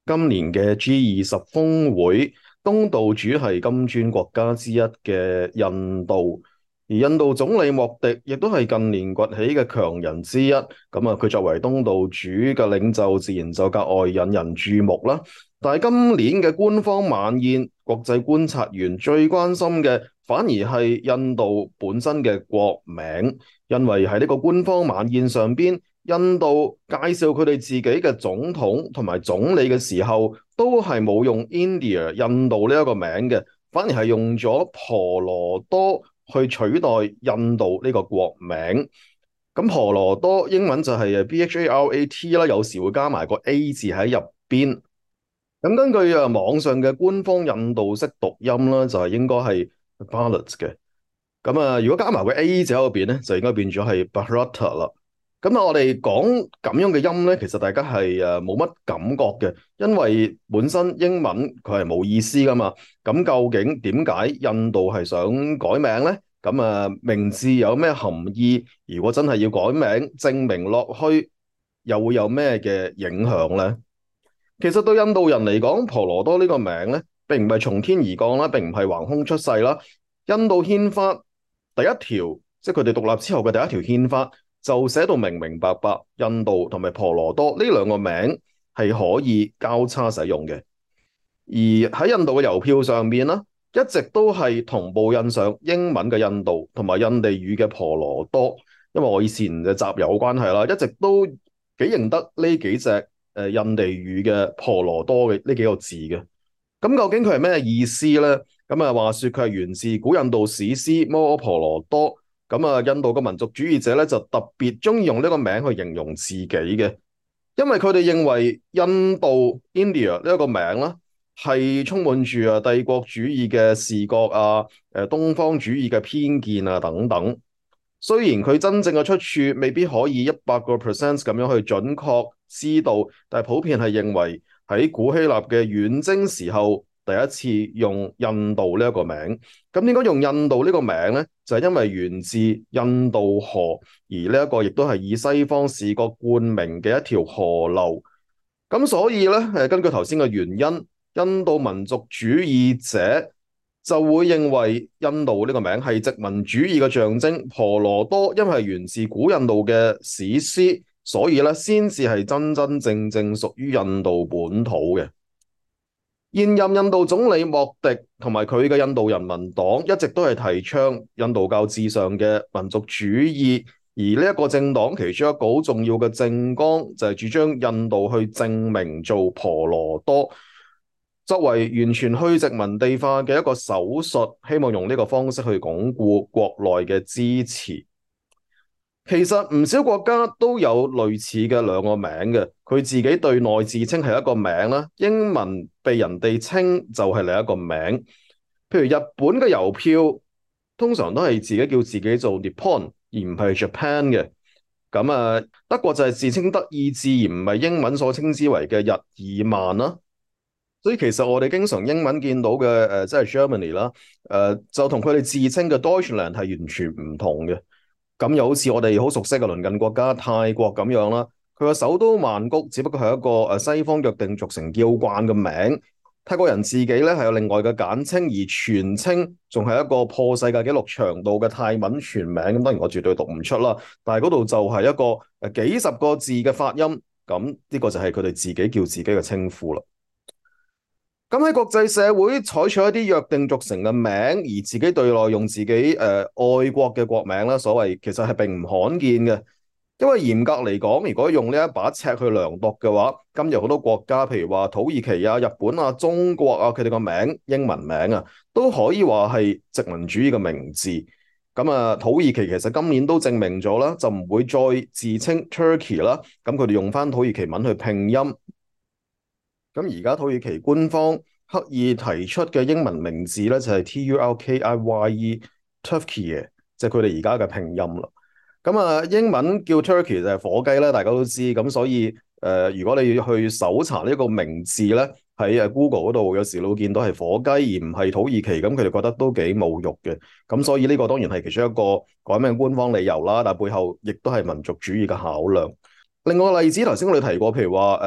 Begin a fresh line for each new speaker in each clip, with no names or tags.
今年嘅 G20峰會，東道主係金磚國家之一嘅印度，而印度總理莫迪亦都係近年崛起嘅強人之一。佢作為東道主嘅領袖，自然就格外引人注目啦。但係今年嘅官方晚宴，國際觀察員最關心嘅反而係印度本身嘅國名，因為喺呢個官方晚宴上邊，印度介紹佢哋自己嘅總統同埋總理嘅時候，都係冇用 India 印度呢一個名嘅，反而係用咗婆羅多去取代印度呢個國名。咁婆羅多英文就係BHARAT 啦，有時會加埋個 A 字喺入邊。咁根據網上嘅官方印度式讀音啦，就係應該係 Bharat 嘅。如果加埋個 A 字喺入邊咧，就應該變咗係 Bharata 啦。我哋講咁樣嘅音咧，其實大家係冇乜感覺嘅，因為本身英文佢係冇意思噶嘛。咁究竟點解印度係想改名咧？名字有咩含義？如果真係要改名，證明落去又會有咩嘅影響咧？其實對印度人嚟講，婆羅多呢個名咧，並唔係從天而降啦，並唔係橫空出世啦。印度憲法第一條，即係佢哋獨立之後嘅第一條憲法，就寫到明明白白，印度同埋婆羅多呢兩個名係可以交叉使用嘅。而喺印度嘅郵票上面啦，一直都係同步印上英文嘅印度同埋印地語嘅婆羅多。因為我以前嘅集郵關係啦，一直都幾認得呢幾隻印地語嘅婆羅多嘅呢幾個字嘅。究竟佢係咩意思呢？話說佢係源自古印度史詩《摩訶婆羅多》。印度嘅民族主義者咧就特別中意用呢個名去形容自己嘅，因為佢哋認為印度 India 呢一個名啦，係充滿住帝國主義嘅視覺啊，東方主義嘅偏見啊等等。雖然佢真正嘅出處未必可以100%咁樣去準確知道，但係普遍係認為喺古希臘嘅遠征時候，第一次用印度呢一個名。點解用印度呢個名呢？就係因為源自印度河，而呢一個亦都係以西方視覺冠名嘅一條河流。所以咧，根據頭先嘅原因，印度民族主義者就會認為印度呢個名係殖民主義嘅象徵。婆羅多因為係源自古印度嘅史詩，所以咧先至係真真正正屬於印度本土嘅。現任印度總理莫迪同埋佢嘅印度人民黨一直都係提倡印度教至上嘅民族主義，而呢一個政黨其中一個好重要嘅政綱就係主張印度去正名做婆羅多，作為完全去殖民地化嘅一個手術，希望用呢個方式去鞏固國內嘅支持。其實唔少國家都有類似嘅兩個名嘅，佢自己對內自稱係一個名啦，英文被人哋稱就係另一個名。譬如日本嘅郵票通常都係自己叫自己做 Nippon 而唔係 Japan 嘅。德國就係自稱德意志而唔係英文所稱之為嘅日耳曼啦。所以其實我哋經常英文見到嘅即係 Germany 啦，就同佢哋自稱嘅 Deutschland 係完全唔同嘅。又好似我哋好熟悉嘅鄰近國家泰國咁樣啦，佢個首都曼谷只不過係一個西方約定俗成叫慣嘅名，泰國人自己咧係有另外嘅簡稱，而全稱仲係一個破世界紀錄長度嘅泰文全名。當然我絕對讀唔出啦，但係嗰度就係一個幾十個字嘅發音，呢個就係佢哋自己叫自己嘅稱呼啦。喺國際社會採取一啲約定俗成嘅名，而自己對內用自己愛國嘅國名啦，所謂其實係並唔罕見嘅。因為嚴格嚟講，如果用呢一把尺去量度嘅話，今日好多國家，譬如話土耳其啊、日本啊、中國啊，佢哋個名英文名啊，都可以話係殖民主義嘅名字。土耳其其實今年都證明咗啦，就唔會再自稱 Turkey 啦。佢哋用翻土耳其文去拼音。而家土耳其官方刻意提出嘅英文名字咧，就係 Turkiye，Turkiye，即係佢哋而家嘅拼音啦。英文叫 Turkey 就係火雞啦，大家都知。所以如果你要去搜查呢個名字咧，喺Google 嗰度有時你會見到係火雞而唔係土耳其，佢哋覺得都幾侮辱嘅。所以呢個當然係其中一個改名官方理由啦，但係背後亦都係民族主義嘅考量。另外個例子，頭先我哋提過，譬如話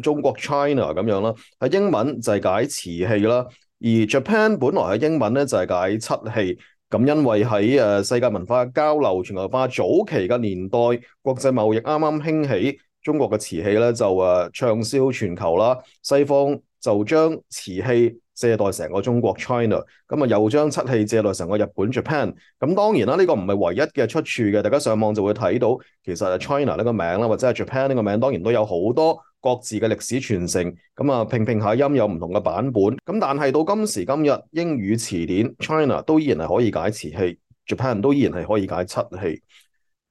中國 China 咁樣啦，喺英文就係解瓷器啦，而 Japan 本來喺英文咧就係解漆器。咁因為喺世界文化交流、全球化早期嘅年代，國際貿易啱啱興起，中國嘅瓷器咧就暢銷全球啦。西方就將瓷器借代成個中國 China，咁啊又將漆器借代成個日本 Japan。咁當然啦，呢個唔係唯一嘅出處嘅，大家上網就會睇到，其實 China 呢個名啦，或者係 Japan 呢個名，當然都有好多各自嘅歷史傳承。咁啊拼拼下音有唔同嘅版本。咁但係到今時今日，英語詞典 China 都依然係可以解瓷器，Japan 都依然係可以解漆器。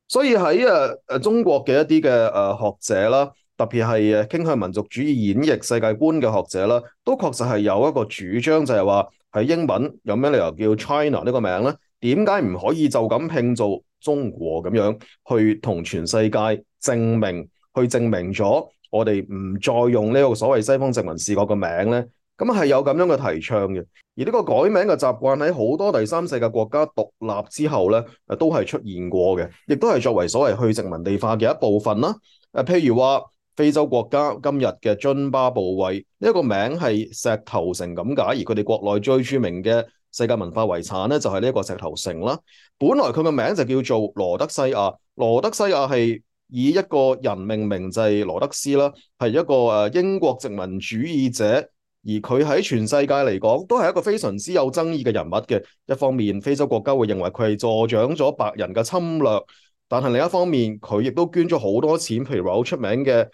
所以喺中國嘅一啲嘅學者啦，特別係傾向民族主義演繹世界觀嘅學者啦，都確實係有一個主張，就係話喺英文有咩理由叫 China 呢個名呢？點解唔可以就咁拼做中國咁樣去同全世界證明，去證明咗我哋唔再用呢個所謂西方殖民視角嘅名呢？咁係有咁樣嘅提倡嘅。而呢個改名嘅習慣喺好多第三世界國家獨立之後咧，都係出現過嘅，亦都係作為所謂去殖民地化嘅一部分啦。譬如話非洲國家今日嘅津巴布韋呢一個名係石頭城咁解，而佢哋國內最著名嘅世界文化遺產咧就係呢一個石頭城啦。本來佢嘅名就叫做羅德西亞，羅德西亞係以一個人命名，就係羅德斯啦，係一個英國殖民主義者。而佢喺全世界嚟講，都係一個非常之有爭議嘅人物嘅。一方面，非洲國家會認為佢係助長咗白人嘅侵略，但係另一方面，佢亦都捐咗好多錢，譬如話好出名嘅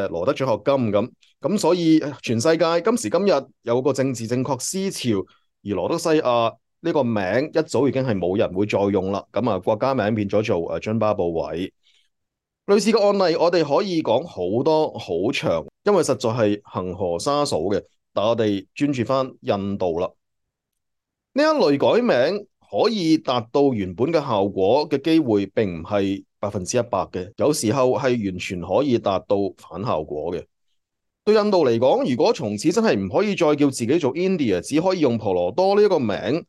羅德獎學金咁。咁所以全世界今時今日有個政治正確思潮，而羅德西亞呢個名一早已經係冇人會再用啦。咁啊，國家名變咗做津巴布韋。類似嘅案例，我哋可以講好多好長，因為實在係恆河沙數嘅。但我哋專注翻印度啦，呢一類改名可以達到原本嘅效果嘅機會並唔係100%嘅，有時候係完全可以達到反效果嘅。對印度嚟講，如果從此真係唔可以再叫自己做 India，只可以用婆羅多呢一個名，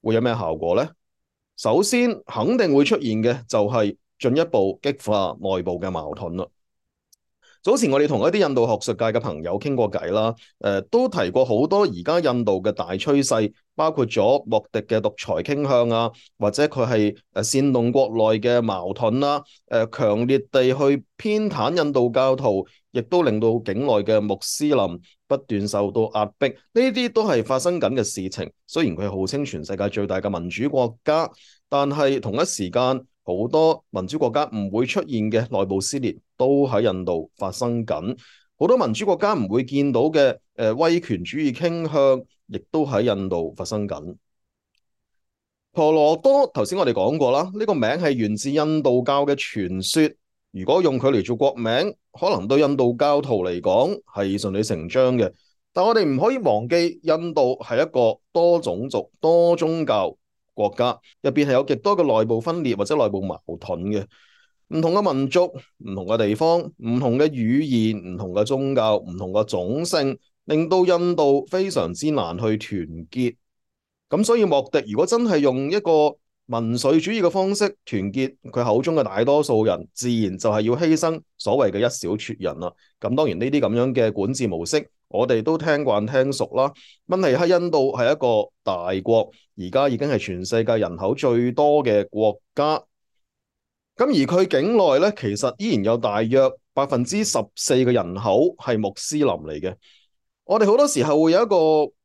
會有咩效果呢？首先肯定會出現嘅就係進一步激化內部嘅矛盾啦。早前我哋同一啲印度學術界嘅朋友傾過偈啦，都提過好多而家印度嘅大趨勢，包括咗莫迪嘅獨裁傾向啊，或者佢係煽動國內嘅矛盾啦，強烈地去偏袒印度教徒，亦都令到境內嘅穆斯林不斷受到壓迫，呢啲都係發生緊嘅事情。雖然佢號稱全世界最大嘅民主國家，但係同一時間，好多民主國家唔會出現嘅內部撕裂都喺印度發生緊，好多民主國家唔會見到嘅威權主義傾向，亦都喺印度發生緊。婆羅多頭先我哋講過啦，呢個名係源自印度教嘅傳說，如果用佢嚟做國名，可能對印度教徒嚟講係順理成章嘅。但我哋唔可以忘記，印度係一個多種族、多宗教國家，入邊係有極多嘅內部分裂或者內部矛盾嘅，唔同嘅民族、唔同嘅地方、唔同嘅語言、唔同嘅宗教、唔同嘅種姓，令到印度非常之難去團結。咁所以莫迪如果真係用一個民粹主義嘅方式團結佢口中嘅大多數人，自然就係要犧牲所謂嘅一小撮人啦。咁當然呢啲咁樣嘅管治模式，我哋都聽慣聽熟啦。問題係印度係一個大國，而家已經係全世界人口最多嘅國家。咁而佢境內咧，其實依然有大約14%嘅人口係穆斯林嚟嘅。我哋好多時候會有一個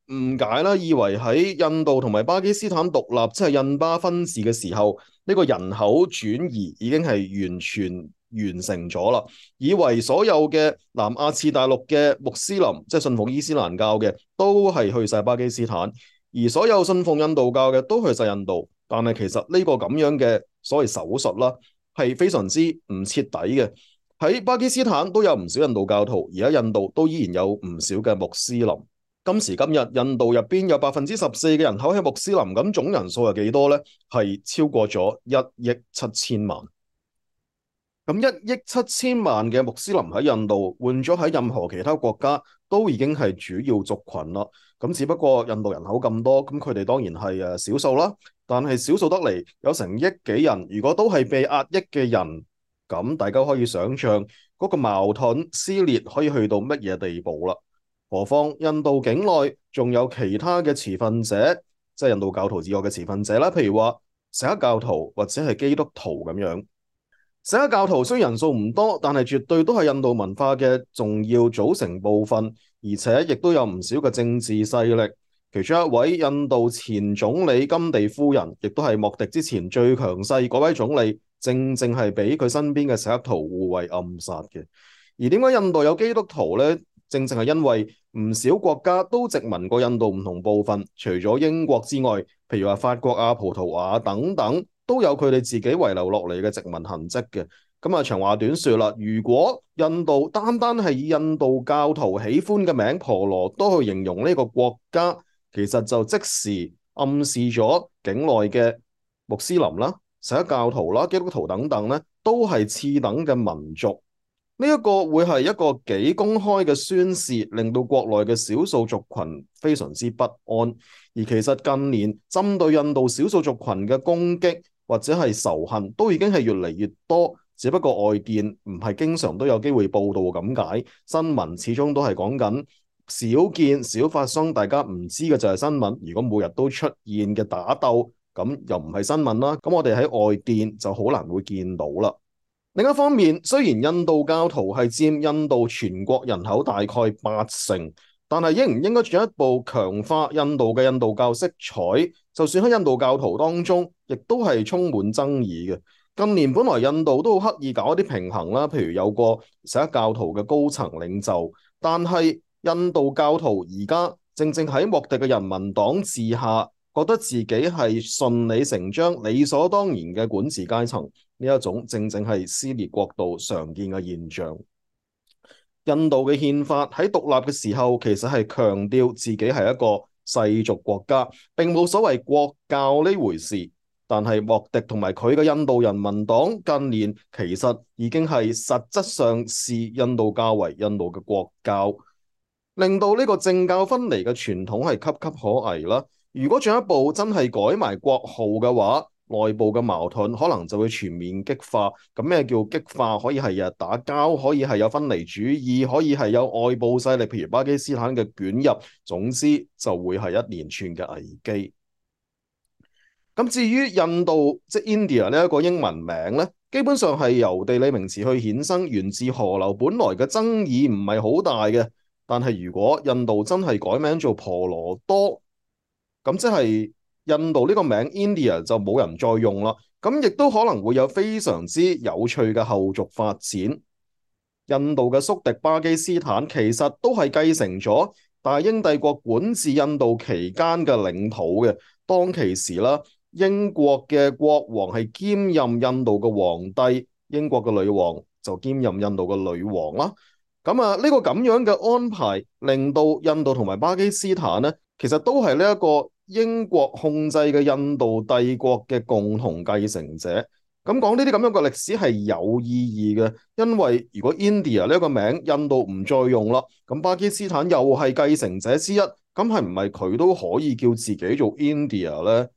誤解啦，以為喺印度同埋巴基斯坦獨立，即係印巴分治嘅時候，呢個人口轉移已經係完全完成咗啦。以為所有嘅南亞次大陸嘅穆斯林，即係信奉伊斯蘭教嘅，都係去晒巴基斯坦，而所有信奉印度教嘅都去晒印度。但係其實呢個咁樣嘅所謂手術啦，係非常之唔徹底嘅。喺巴基斯坦都有唔少印度教徒，而喺印度都依然有唔少嘅穆斯林。今時今日，印度入邊有14%嘅人口係穆斯林，咁總人數係幾多呢？係超過咗1億7千萬。咁1億7千萬嘅穆斯林喺印度，換咗喺任何其他國家，都已經係主要族群啦。咁只不過印度人口咁多，咁佢哋當然係少數啦。但係少數得嚟，有成億幾人，如果都係被壓抑嘅人，咁大家可以想象，嗰個矛盾撕裂可以去到乜嘢地步啦。何況印度境內仲有其他嘅持份者，即係印度教徒以外嘅持份者啦，譬如話錫克教徒或者係基督徒咁樣。錫克教徒雖然人數唔多，但係絕對都係印度文化嘅重要組成部分，而且亦都有唔少嘅政治勢力。其中一位印度前總理甘地夫人，亦都係莫迪之前最強勢嗰位總理，正正係俾佢身邊嘅錫克徒護衛暗殺嘅。而點解印度有基督徒呢？正正係因為唔少國家都殖民過印度唔同部分，除咗英國之外，譬如話法國啊、葡萄牙等等，都有佢哋自己遺留落嚟嘅殖民痕跡嘅。咁啊，長話短說啦，如果印度單單係以印度教徒喜歡嘅名婆羅多去形容呢個國家，其實就即時暗示咗境內嘅穆斯林啦、錫克教徒啦、基督徒等等咧，都係次等嘅民族。呢一個會係一個幾公開嘅宣示，令到國內嘅少數族群非常之不安。而其實近年針對印度少數族群嘅攻擊或者係仇恨，都已經係越嚟越多。只不過外電唔係經常都有機會報道咁解，新聞始終都係講緊少見少發生，大家唔知嘅就係新聞。如果每日都出現嘅打鬥，咁又唔係新聞啦。咁我哋喺外電就好難會見到啦。另一方面，雖然印度教徒係佔印度全國人口大概80%，但係應唔應該進一步強化印度嘅印度教色彩，就算喺印度教徒當中，亦都係充滿爭議嘅。近年本來印度都好刻意搞一啲平衡啦，譬如有個錫克教徒嘅高層領袖，但係印度教徒而家正正喺莫迪嘅人民黨治下，覺得自己係順理成章、理所當然嘅管治階層。呢一種正正係撕裂國度常見嘅現象。印度嘅憲法喺獨立嘅時候，其實係強調自己係一個世俗國家，並冇所謂國教呢回事。但係莫迪同埋佢嘅印度人民黨近年其實已經係實質上視印度教為印度嘅國教，令到呢個政教分離嘅傳統係岌岌可危啦。如果進一步真係改埋國號嘅話，內部嘅矛盾可能就會全面激化。咁咩叫激化？可以係日打交，可以係有分離主義，可以係有外部勢力，譬如巴基斯坦嘅捲入。總之就會係一連串嘅危機。咁至於印度即 India 呢一個英文名咧，基本上係由地理名詞去衍生，源自河流，本來嘅爭議唔係好大嘅。但係如果印度真係改名做婆羅多，咁即係印度呢個名 India 就冇人再用啦。咁亦都可能會有非常之有趣嘅後續發展。印度嘅宿敵巴基斯坦其實都係繼承咗大英帝國管治印度期間嘅領土嘅。當其時啦，英國嘅國王係兼任印度嘅皇帝，英國嘅女王就兼任印度嘅女王啦。咁啊，呢個咁樣嘅安排，令到印度同埋巴基斯坦呢，其實都係呢一個英國控制嘅印度帝國嘅共同繼承者。咁講呢啲咁樣嘅歷史係有意義嘅，因為如果 India 呢個名印度唔再用啦，咁巴基斯坦又係繼承者之一，咁係唔係佢都可以叫自己做 India 呢？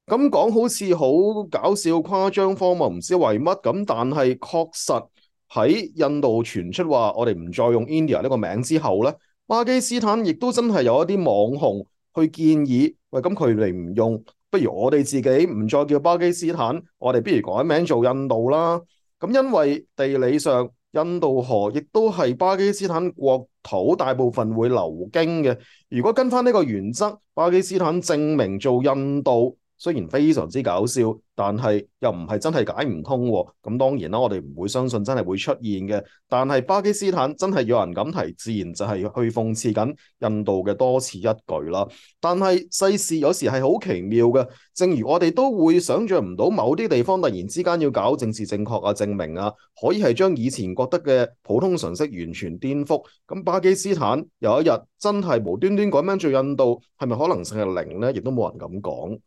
咁講好似好搞笑、誇張、荒謬，唔知為乜咁，但係確實喺印度傳出話我哋唔再用 India 呢個名之後呢，巴基斯坦亦都真係有一啲網紅去建議，喂，咁佢哋唔用，不如我哋自己唔再叫巴基斯坦，我哋不如改名做印度啦。咁因為地理上印度河亦都係巴基斯坦國土，大部分會流經嘅。如果跟翻呢個原則，巴基斯坦證明做印度，雖然非常之搞笑，但係又唔係真係解唔通喎。咁當然啦，我哋唔會相信真係會出現嘅。但係巴基斯坦真係有人咁提，自然就係去諷刺緊印度嘅多此一舉啦。但係世事有時係好奇妙嘅，正如我哋都會想像唔到某啲地方突然之間要搞政治正確啊、正名啊，可以係將以前覺得嘅普通常識完全顛覆。咁巴基斯坦有一日真係無端端改名做印度，係咪可能性係零呢？亦都冇人咁講。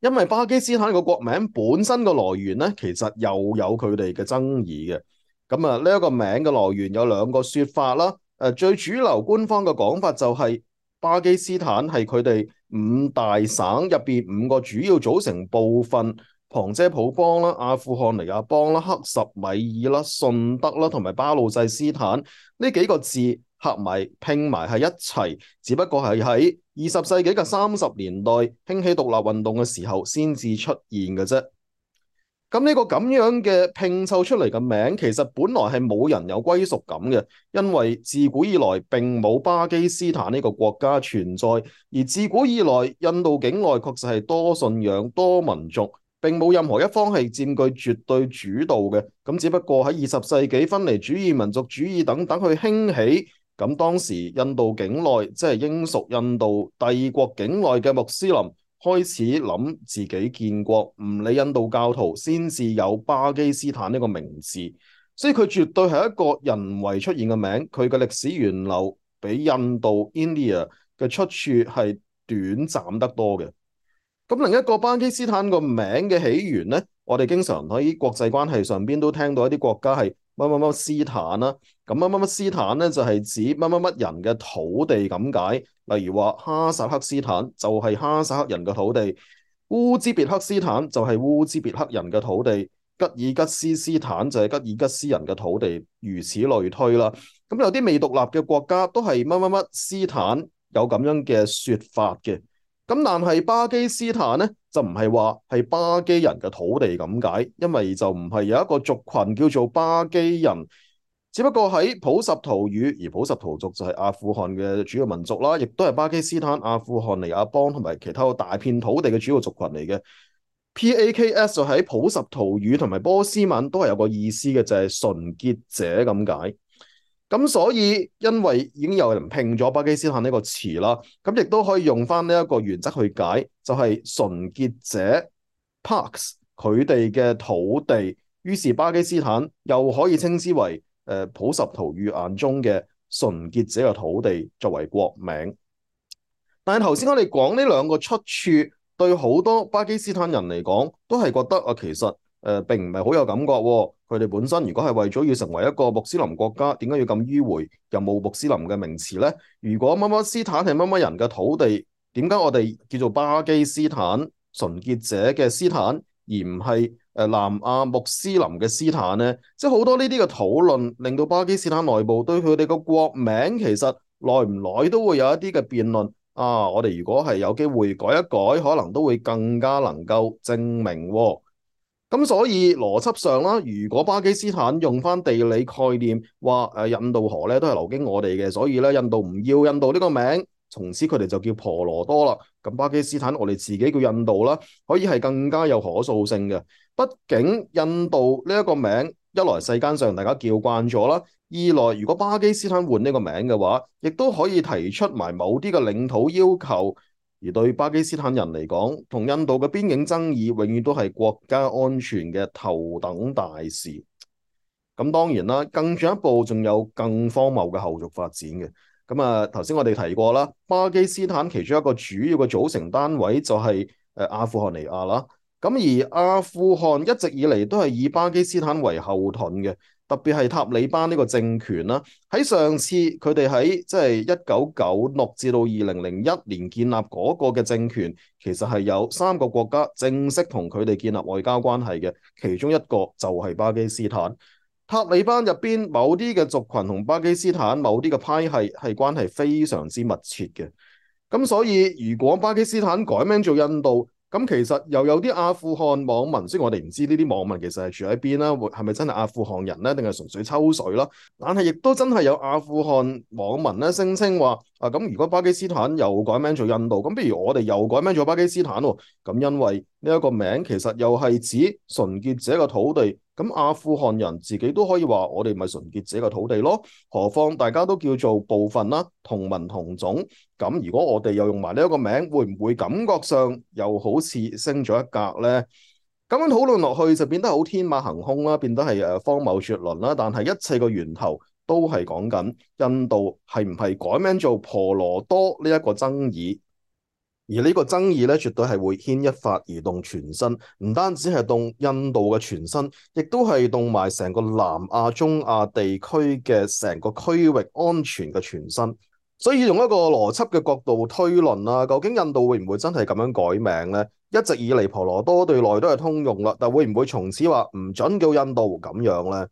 因為巴基斯坦個國名本身個來源咧，其實又有佢哋嘅爭議嘅。咁啊，呢一個名嘅來源有兩個說法啦。最主流官方嘅講法就係巴基斯坦係佢哋五大省入邊5個主要組成部分旁遮普邦啦、阿富汗尼亞邦啦、克什米爾啦、順德啦同埋巴魯濟斯坦呢幾個字合埋拼埋係一齊，只不過係喺20世紀嘅30年代興起獨立運動嘅時候先至出現嘅啫。咁呢個咁樣嘅拼湊出嚟嘅名，其實本來係冇人有歸屬感嘅，因為自古以來並冇巴基斯坦呢個國家存在，而自古以來印度境內確實係多信仰、多民族，並冇任何一方係佔據絕對主導嘅。咁只不過喺20世紀分離主義、民族主義等等去興起，咁當時印度境內即係英屬印度帝國境內嘅穆斯林，開始諗自己建國，唔理印度教徒，先至有巴基斯坦呢個名字，所以佢絕對係一個人為出現嘅名，佢嘅歷史源流比印度 India 嘅出處係短暫得多嘅。咁另一個巴基斯坦個名嘅起源呢，我哋經常喺國際關係上邊都聽到一啲國家係乜乜乜斯坦啦，咁乜乜乜斯坦呢，就係指乜乜乜人嘅土地咁解。例如話哈薩克斯坦就係哈薩克人嘅土地，烏茲別克斯坦就係烏茲別克人嘅土地，吉爾吉斯斯坦就係吉爾吉斯人嘅土地，如此類推啦。咁有啲未獨立嘅國家都係乜乜乜斯坦，有咁樣嘅說法嘅。咁但係巴基斯坦呢，就唔係話係巴基人嘅土地咁解，因為就唔係有一個族群叫做巴基人。只不過喺普什圖語，而普什圖族就係阿富汗嘅主要民族啦，亦都係巴基斯坦、阿富汗尼亞邦同埋其他大片土地嘅主要族群嚟嘅。Paks 就喺普什圖語同埋波斯文都係有個意思嘅，就係純潔者咁解。咁所以因為已經有人拼咗巴基斯坦呢個詞啦，咁亦都可以用翻呢一個原則去解，就係純潔者 Parks 佢哋嘅土地，於是巴基斯坦又可以稱之為普什圖語眼中嘅純潔者嘅土地作為國名。但係頭先我哋講呢兩個出處，對好多巴基斯坦人嚟講，都係覺得啊，其實並唔係好有感覺喎。佢哋本身如果係為咗要成為一個穆斯林國家，點解要咁迂迴？又冇穆斯林嘅名詞呢？如果乜乜斯坦係乜乜人嘅土地，點解我哋叫做巴基斯坦純潔者嘅斯坦，而唔係南亞穆斯林嘅斯坦呢？即係好多呢啲嘅討論，令到巴基斯坦內部對佢哋個國名其實耐唔耐都會有一啲嘅辯論。啊，我哋如果係有機會改一改，可能都會更加能夠證明喎。咁所以邏輯上啦，如果巴基斯坦用翻地理概念，話印度河咧都係流經我哋嘅，所以咧印度唔要印度呢個名，從此佢哋就叫婆羅多啦。咁巴基斯坦我哋自己叫印度啦，可以係更加有可塑性嘅。畢竟印度呢一個名，一來世間上大家叫慣咗啦，二來如果巴基斯坦換呢個名嘅話，亦都可以提出埋某啲嘅領土要求。而對巴基斯坦人嚟講，同印度嘅邊境爭議永遠都係國家安全嘅頭等大事。咁當然啦，更進一步仲有更荒謬嘅後續發展嘅。咁啊，頭先我哋提過啦，巴基斯坦其中一個主要嘅組成單位就係阿富汗尼亞啦。咁而阿富汗一直以嚟都係以巴基斯坦為後盾嘅。特別係塔利班呢個政權啦，喺上次佢哋喺即係1996至到2001年建立嗰個嘅政權，其實係有3個國家正式同佢哋建立外交關係嘅，其中一個就係巴基斯坦。塔利班入邊某啲嘅族群同巴基斯坦某啲嘅派系係關係非常之密切嘅，咁所以如果巴基斯坦改名做印度，咁其實又有啲阿富汗網民，雖然我哋唔知呢啲網民其實係住喺邊啦，係咪真係阿富汗人咧，定係純粹抽水啦？但係亦都真係有阿富汗網民咧聲稱話啊，咁如果巴基斯坦又改名做印度，咁不如我哋又改名做巴基斯坦喎？咁因為呢一個名其實又係指純潔者嘅土地，咁阿富汗人自己都可以話我哋咪純潔者嘅土地咯。何況大家都叫做部分啦，同文同種。咁如果我哋又用埋呢一個名，會唔會感覺上又好似升咗一格呢？咁樣討論落去就變得好天馬行空啦，變得係荒謬絕倫啦。但係一切個源頭都係講緊印度係唔係改名做婆羅多呢一個爭議，而呢個爭議咧絕對係會牽一髮而動全身，唔單止係動印度嘅全身，亦都係動埋成個南亞、中亞地區嘅成個區域安全嘅全身。所以用一個邏輯嘅角度推論啦，究竟印度會唔會真係咁樣改名呢？一直以嚟婆羅多對內都係通用啦，但會唔會從此話唔準叫印度咁樣呢？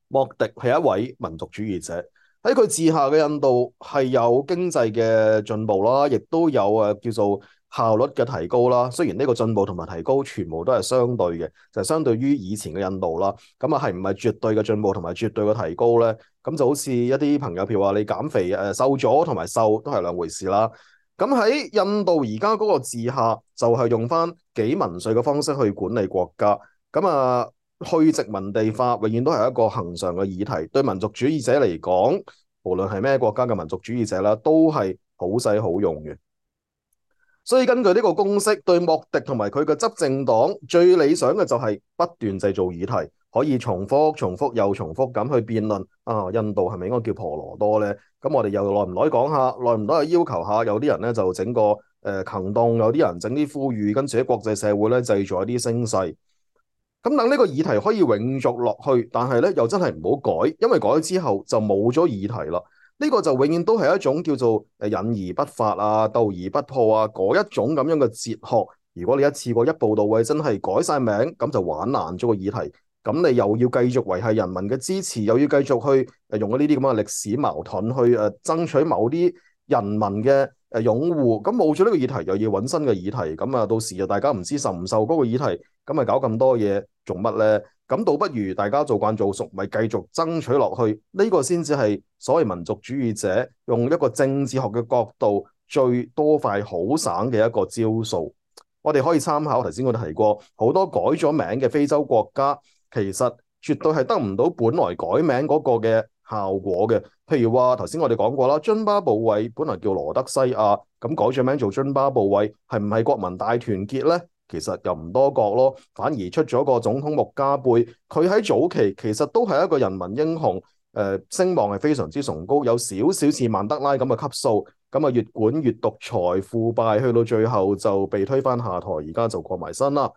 莫迪係一位民族主義者，喺佢治下嘅印度係有經濟嘅進步啦，亦都有叫做效率嘅提高啦。雖然呢個進步同埋提高全部都係相對嘅，就係相對於以前嘅印度啦。咁啊係唔係絕對嘅進步同埋絕對嘅提高呢？咁就好似一啲朋友譬如話你減肥瘦咗同埋瘦都係兩回事啦。咁喺印度而家嗰個治下就係用翻幾民粹嘅方式去管理國家。咁啊去殖民地化永遠都係一個恆常嘅議題，對民族主義者嚟講，無論係咩國家嘅民族主義者啦，都係好使好用嘅。所以根據呢個公式，對莫迪同埋佢嘅執政黨最理想嘅就係不斷製造議題，可以重複、重複又重複咁去辯論啊，印度係咪應該叫婆羅多呢？咁我哋又耐唔耐講下，耐唔耐去要求下？有啲人咧就整個行動，有啲人整啲呼籲，跟住喺國際社會咧製造一啲聲勢。咁等呢個議題可以永續落去，但係咧又真係唔好改，因為改咗之後就冇咗議題啦。呢個就永遠都係一種叫做引而不發啊、鬥而不破啊嗰一種咁樣嘅哲學。如果你一次過一步到位，真係改晒名，咁就玩爛咗個議題。咁你又要繼續維繫人民嘅支持，又要繼續去用呢啲咁嘅歷史矛盾去爭取某啲人民嘅擁護。咁冇咗呢個議題，又要揾新嘅議題。咁啊，到時啊，大家唔知受唔受嗰個議題，咁咪搞咁多嘢做乜呢？咁倒不如大家做慣做熟，咪繼續爭取落去。呢個先至係所謂民族主義者用一個政治學嘅角度最多快好省嘅一個招數。我哋可以參考頭先我哋提過好多改咗名嘅非洲國家，其實絕對係得唔到本來改名嗰個嘅效果嘅。譬如話頭先我哋講過啦，津巴布韋本來叫羅德西亞，咁改咗名做津巴布韋，係唔係國民大團結呢？其實又唔多覺咯，反而出咗個總統穆加貝，佢喺早期其實都係一個人民英雄，聲望係非常之崇高，有少少似曼德拉咁嘅級數，咁啊越管越獨裁腐敗，去到最後就被推翻下台，而家就過埋身啦。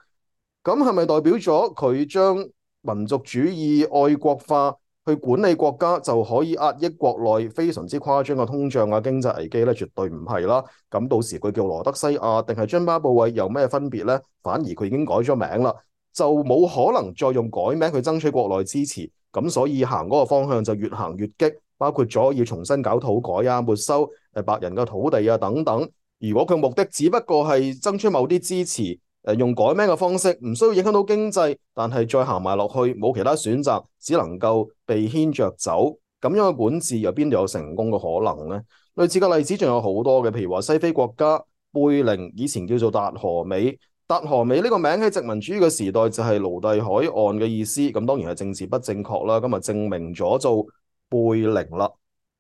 咁係咪代表咗佢將民族主義愛國化去管理國家就可以壓抑國內非常之誇張嘅通脹啊、經濟危機咧？絕對唔係啦。咁到時佢叫羅德西亞定係津巴布韋有咩分別呢？反而佢已經改咗名啦，就冇可能再用改名去爭取國內支持。咁所以行嗰個方向就越行越激，包括咗要重新搞土改啊、沒收白人嘅土地啊等等。如果佢目的只不過係爭取某啲支持，用改名嘅方式，唔需要影響到經濟，但係再行埋落去，冇其他選擇，只能夠被牽着走。咁樣嘅管治又邊度有成功嘅可能呢？類似嘅例子仲有好多嘅，譬如話西非國家貝寧以前叫做達荷美，達荷美呢個名喺殖民主義嘅時代就係奴隸海岸嘅意思，咁當然係政治不正確啦。咁啊證明咗做貝寧啦。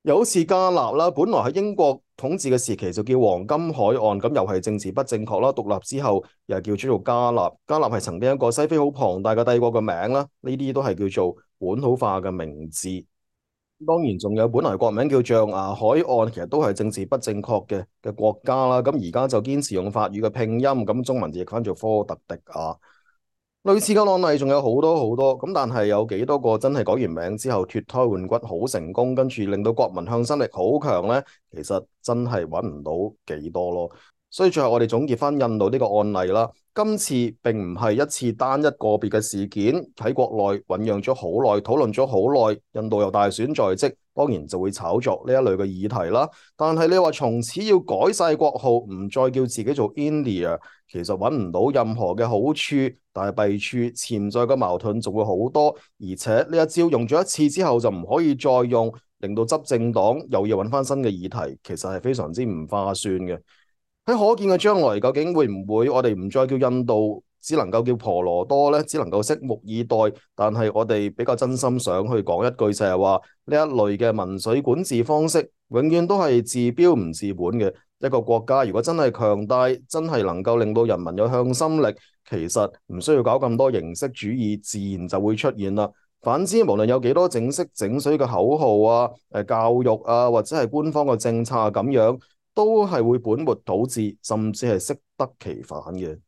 又好似加納啦，本來喺英國統治嘅時期就叫黃金海岸，咁又係政治不正確啦。獨立之後又叫做加納，加納係曾經一個西非好龐大嘅帝國嘅名啦。呢啲都係叫做本土化嘅名字。當然仲有本來國名叫象牙海岸，其實都係政治不正確嘅國家啦。咁而家就堅持用法語嘅拼音，咁中文譯翻做科特迪亞。類似嘅案例仲有好多好多，咁但係有幾多個真係改完名之後脫胎換骨好成功，跟住令到國民向心力好強呢？其實真係揾唔到幾多咯。所以最後我哋總結翻印度呢個案例啦，今次並唔係一次單一個別嘅事件，喺國內醖釀咗好耐，討論咗好耐，印度又大選在即，當然就會炒作呢一類嘅議題啦。但係你話從此要改晒國號，唔再叫自己做 India，其實揾唔到任何嘅好處，但係弊處潛在嘅矛盾仲會好多，而且呢一招用咗一次之後就唔可以再用，令到執政黨又要揾翻新嘅議題，其實係非常之唔划算嘅。喺可見嘅將來，究竟會唔會我哋唔再叫印度，只能夠叫婆羅多呢？只能夠拭目以待。但係我哋比較真心想去講一句就係話，呢一類嘅民粹管治方式，永遠都係治標唔治本嘅。一個國家如果真係強大，真係能夠令到人民有向心力，其實唔需要搞咁多形式主義，自然就會出現啦。反之，無論有幾多整色整水嘅口號啊、教育啊，或者係官方嘅政策啊咁樣，都係會本末倒置，甚至係適得其反嘅。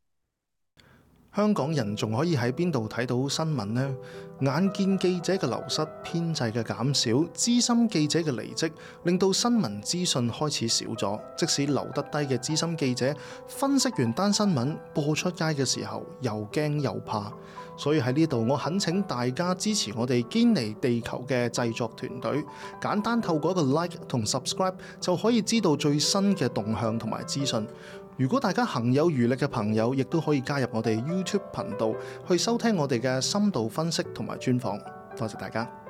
香港人仲可以喺邊度睇到新聞呢？眼見記者嘅流失、編制嘅減少、資深記者嘅離職，令到新聞資訊開始少咗。即使留得低嘅資深記者，分析完單新聞播出街嘅時候，又驚又怕。所以喺呢度，我懇請大家支持我哋堅尼地球嘅製作團隊，簡單透過一個 like 同 subscribe 就可以知道最新嘅動向同埋資訊。如果大家行有餘力嘅朋友，亦都可以加入我哋 YouTube 頻道去收聽我哋嘅深度分析同埋專訪。多謝大家。